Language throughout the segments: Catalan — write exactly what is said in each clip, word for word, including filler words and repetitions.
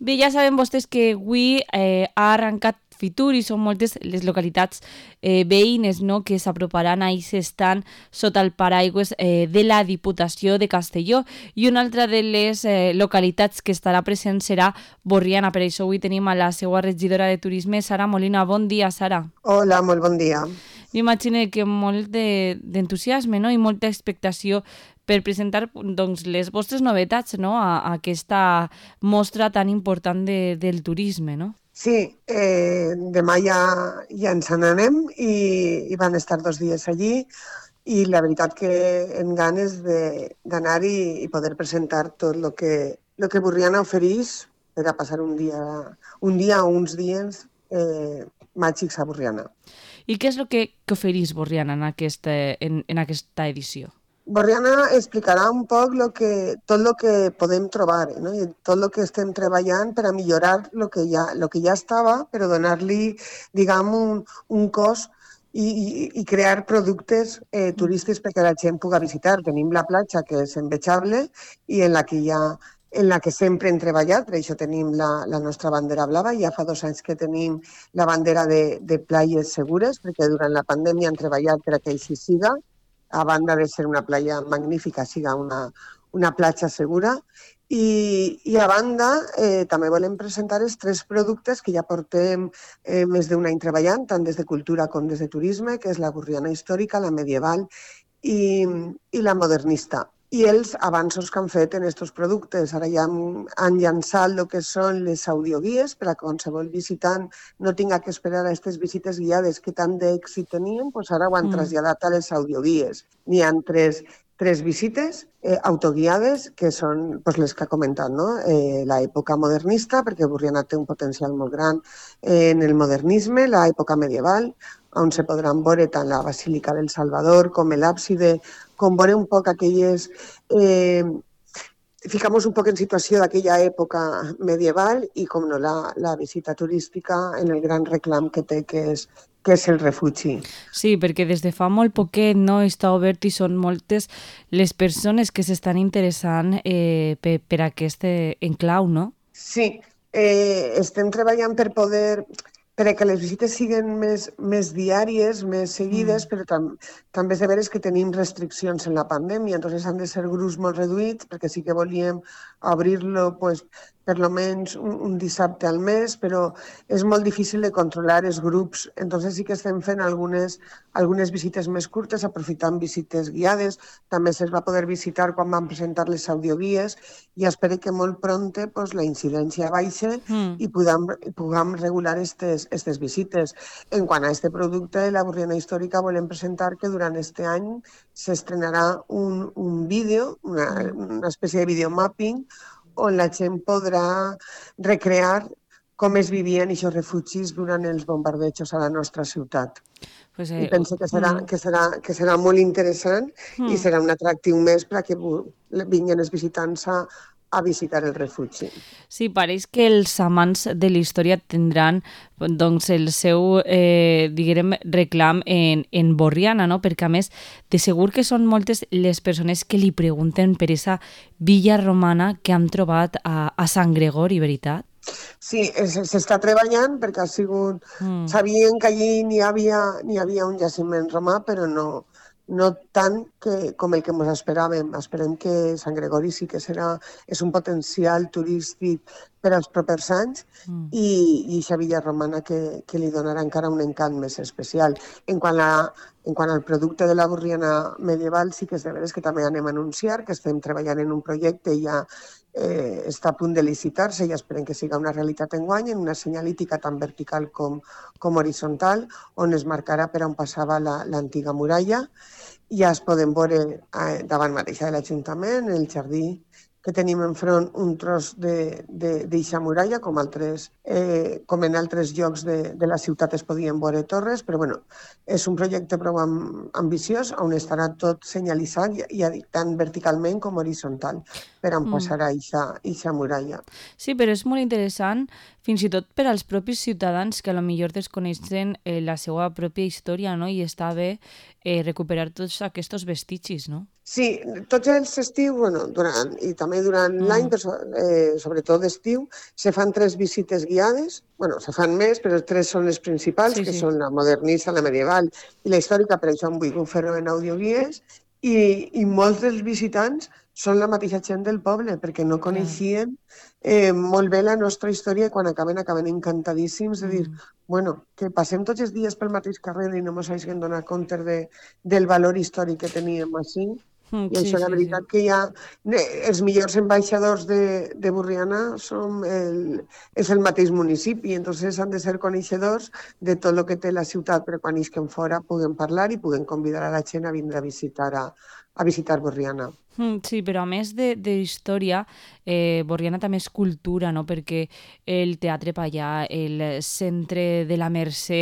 Bé, ja saben vostès que avui eh, ha arrencat Fitur i són moltes les localitats eh, veïnes, no?, que s'aproparan a aquest estant sota el paraigües eh, de la Diputació de Castelló, i una altra de les eh, localitats que estarà present serà Borriana. Per això avui tenim a la seva regidora de Turisme, Sara Molina. Bon dia, Sara. Hola, molt bon dia. M'imagino que molt d'entusiasme, no?, i molta expectació per presentar doncs, les vostres novetats, no?, a, a aquesta mostra tan important de, del turisme, no? Sí, eh, demà ja, ja ens n'anem i, i van estar dos dies allí i la veritat que en ganes d'anar-hi i poder presentar tot el que, lo que Borriana ofereix per a passar un dia, un dia o uns dies eh, màgics a Borriana. I què és el que, que ofereix Borriana en aquesta, en, en aquesta edició? Borriana explicarà un poc lo que, tot el que podem trobar, no? I tot el que estem treballant per a millorar el que ja, lo que ja estava, però donar-li, diguem, un, un cos i, i, i crear productes eh, turístics perquè la gent pugui visitar. Tenim la platja, que és envejable, i en la que ja en la que sempre hem treballat, per això tenim la, la nostra bandera blava. Ja fa dos anys que tenim la bandera de, de platges segures, perquè durant la pandèmia hem treballat per a que així siga, a banda de ser una playa magnífica, siga una, una platja segura. I, i a banda, eh, també volem presentar els tres productes que ja portem eh, més d'un any treballant, tant des de cultura com des de turisme, que és la Borriana històrica, la medieval i, i la modernista. I els avanços que han fet en aquests productes. Ara ja han, han llançat el que són les audioguies per a qualsevol visitant no tinga que esperar a aquestes visites guiades que tant d'èxit tenien, doncs ara ho han mm. traslladat a les audioguies. N'hi ha tres, tres visites eh, autoguiades, que són doncs, les que ha comentat, no? Eh, l'època modernista, perquè Borriana té un potencial molt gran eh, en el modernisme, l'època medieval, on se podran veure tant la Basílica del Salvador com l'àbside, com veure un poc aquelles... Eh, ficamos un poc en situació d'aquella època medieval i, com no, la, la visita turística en el gran reclam que té, que és, que és el refugi. Sí, perquè des de fa molt poquet no està obert i són moltes les persones que s'estan interessant eh, per, per aquest enclau, no? Sí, eh, estem treballant per poder... perquè les visites siguin més, més diàries, més seguides, mm. però tam, també és de veres que tenim restriccions en la pandèmia, entonces han de ser grups molt reduïts, perquè sí que volíem obrir-lo pues, per lo menys un, un dissabte al mes, però és molt difícil de controlar els grups, entonces sí que estem fent algunes, algunes visites més curtes, aprofitant visites guiades, també se'ls va poder visitar quan van presentar les audioguies, i espero que molt pronte pues, la incidència baixe mm. i puguem, puguem regular aquestes aquestes visites. En quant a aquest producte, la Borriana històrica, volem presentar que durant aquest any s'estrenarà un, un vídeo, una, una espècie de videomapping, on la gent podrà recrear com es vivien aquests refugis durant els bombardejos a la nostra ciutat. Pues, eh, I penso que serà, mm. que serà, que serà molt interessant mm. i serà un atractiu més per a que vinguin els visitants a a visitar el refugi. Sí, pareix que els amants de la història tindran doncs, el seu eh, diguem, reclam en, en Borriana, no? Perquè a més de segur que són moltes les persones que li pregunten per aquesta villa romana que han trobat a, a Sant Gregori, veritat? Sí, s'està treballant perquè ha sigut... Mm. Sabien que allí n'hi havia, n'hi havia un jaciment romà, però no... no tant que, com el que ens esperàvem. Esperem que Sant Gregori sí que serà, és un potencial turístic per als propers anys mm. i, i aquesta villa romana que, que li donarà encara un encant més especial. En quant, a, en quant al producte de la Borriana medieval, sí que és de veres que també anem a anunciar que estem treballant en un projecte i ja eh, està a punt de licitar-se i esperem que siga una realitat enguany, en una senyalítica tan vertical com, com horitzontal, on es marcarà per on passava l'antiga muralla. Ja es poden veure eh, davant mateixa de l'Ajuntament, el jardí que tenim enfront un tros d'eixa muralla, com, altres, eh, com en altres llocs de, de la ciutat es podien veure torres, però bueno, és un projecte prou ambiciós on estarà tot senyalitzat, ja dic, tant verticalment com horitzontal, per on mm. passarà eixa muralla. Sí, però és molt interessant, fins i tot per als propis ciutadans que a lo millor desconeixen eh, la seva pròpia història, no? I està bé eh, recuperar tots aquests vestigis, no? Sí, tots els estius, bueno, durant, i també durant mm. l'any, però eh, sobretot d'estiu, se fan tres visites guiades. Bueno, se fan més, però tres són les principals, sí, que sí. són la modernista, la medieval i la històrica, per això em vull fer-ho en audioguies, i, i molts dels visitants són la mateixa gent del poble, perquè no coneixien eh, molt bé la nostra història i quan acaben, acaben encantadíssims de dir, mm. bueno, que passem tots els dies pel mateix carrer i no ens hagin donat compte de, del valor històric que teníem així. Mm, I això, sí, la veritat, sí, sí. que hi ha... Els millors ambaixadors de, de Borriana som el, és el mateix municipi, entonces han de ser coneixedors de tot el que té la ciutat, però quan isquen fora puguen parlar i puguen convidar a la gent a vindre a visitar, a, a visitar Borriana. Sí, però a més de, de història, eh, Borriana també és cultura, no? Perquè el Teatre Pallà, el Centre de la Mercè,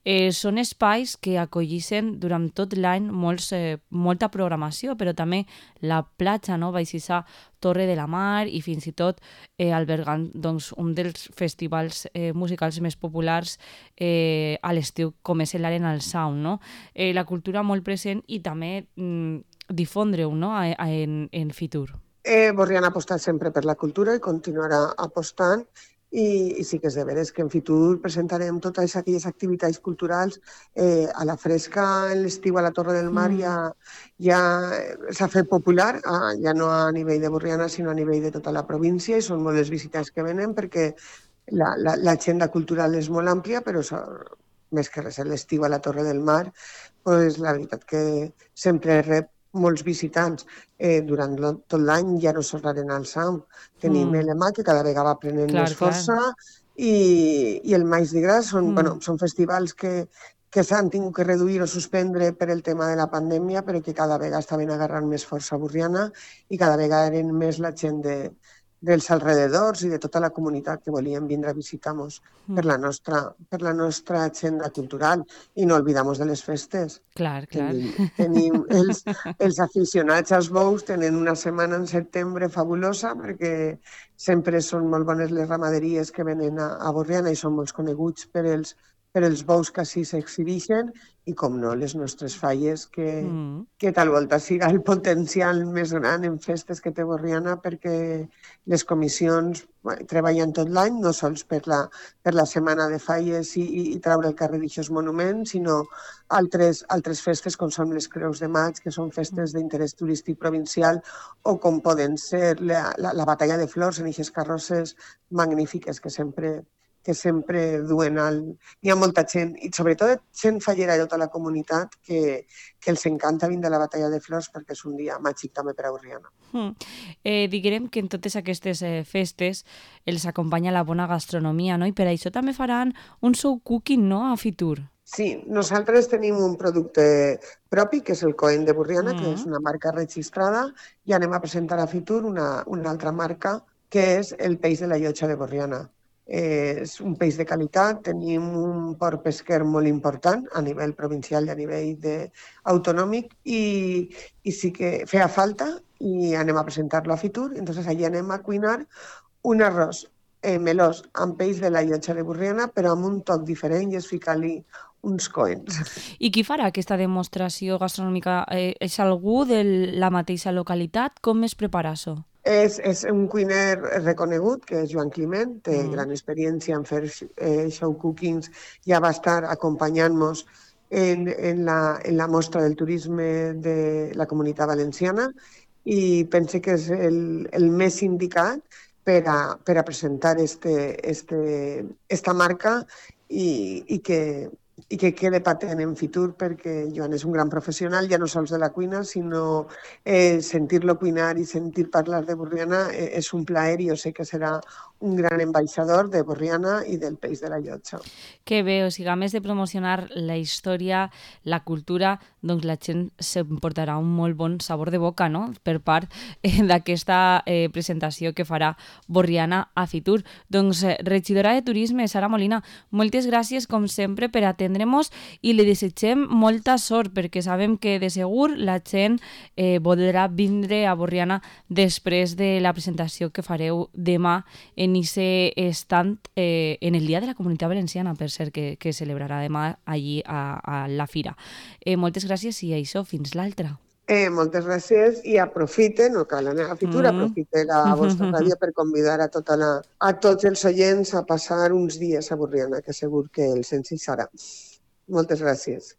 eh, són espais que acollissin durant tot l'any molts, eh, molta programació, però també la platja, no? Baixissa Torre de la Mar i fins i tot eh, albergant doncs, un dels festivals eh, musicals més populars eh, a l'estiu, com és l'Arena al Sound, no? Eh, la cultura molt present i també... Mm, difondre-ho, no?, en, en Fitur. Eh, Borriana ha apostat sempre per la cultura i continuarà apostant i, i sí que és de veres que en Fitur presentarem totes aquelles activitats culturals eh, a la fresca, en l'estiu a la Torre del Mar mm. ja, ja s'ha fet popular, ah, ja no a nivell de Borriana sinó a nivell de tota la província i són molt les visitants que venen perquè la, la, l'agenda cultural és molt àmplia, però so, més que res l'estiu a la Torre del Mar, pues, la veritat que sempre rep molts visitants. Eh, durant tot l'any ja no sols l'Arena al Sound. Tenim mm. l'E M A, que cada vegada va prenent clar, més força, i, i el Maix de Gras són, mm. bueno, són festivals que, que s'han tingut que reduir o suspendre per el tema de la pandèmia, però que cada vegada estaven agarrant més força a Borriana i cada vegada eren més la gent de, dels alrededors i de tota la comunitat que volien vindre a visitar-nos mm. per, la nostra, per la nostra agenda cultural i no oblidamos de les festes. Clar, clar. Tenim, tenim els, els aficionats als bous tenen una setmana en setembre fabulosa perquè sempre són molt bones les ramaderies que venen a, a Borriana i són molt coneguts per els, per els bous que així s'exhibeixen i, com no, les nostres falles, que, mm. que tal volta siga el potencial més gran en festes que té Borriana perquè les comissions bueno, treballen tot l'any, no sols per la, per la setmana de falles i, i, i traure el carrer d'aixòs monuments, sinó altres, altres festes com són les Creus de Maig, que són festes d'interès turístic provincial, o com poden ser la, la, la Batalla de Flors en aquestes carrosses magnífiques que sempre... que sempre duen al... Hi ha molta gent, i sobretot gent fallera de tota la comunitat, que, que els encanta vindre a la Batalla de Flors perquè és un dia màgic també per a Borriana. Mm. Eh, diguem que en totes aquestes eh, festes els acompanya la bona gastronomia, no? I per això també faran un show cooking, no?, a Fitur. Sí, nosaltres tenim un producte propi, que és el Coen de Borriana, mm. que és una marca registrada, i anem a presentar a Fitur una, una altra marca, que és el peix de la Llotja de Borriana. Eh, és un peix de qualitat, tenim un port pesquer molt important a nivell provincial i a nivell de, autonòmic i, i sí que feia falta i anem a presentar-lo a Fitur. Entonces allí anem a cuinar un arròs eh, melós amb peix de la Llotja de Borriana, però amb un toc diferent i és ficar-li uns coens. I qui farà aquesta demostració gastronòmica? Eh, és algú de la mateixa localitat? Com es prepara això? És, és un cuiner reconegut, que és Joan Climent, té mm. gran experiència en fer eh, show cookings, ja va estar acompanyant-nos en, en, la, en la mostra del turisme de la Comunitat Valenciana i pense que és el, el més indicat per a, per a presentar este, este, esta marca i, i que i que quede patent en Fitur perquè Joan és un gran professional, ja no sols de la cuina, sinó eh, sentir-lo cuinar i sentir parlar de Borriana eh, és un plaer i jo sé que serà un gran ambaixador de Borriana i del peix de la Llotja. Que bé, o sigui, a més de promocionar la història, la cultura, doncs la gent s'emportarà un molt bon sabor de boca, no?, per part eh, d'aquesta eh, presentació que farà Borriana a Fitur. Doncs, eh, regidora de Turisme, Sara Molina, moltes gràcies, com sempre, per atendre atendremos i li desitgem molta sort perquè sabem que de segur la gent eh, voldrà vindre a Borriana després de la presentació que fareu demà en aquest estand eh, en el Dia de la Comunitat Valenciana, per cert, que, que celebrarà demà allí a, a la fira. Eh, moltes gràcies i això, fins l'altra. Eh, moltes gràcies i aprofiten, no cal anar a Fitur, mm. aprofite la vostra ràdio per convidar a, tota la, a tots els oients a passar uns dies a Borriana, que segur que els encisarà. Moltes gràcies.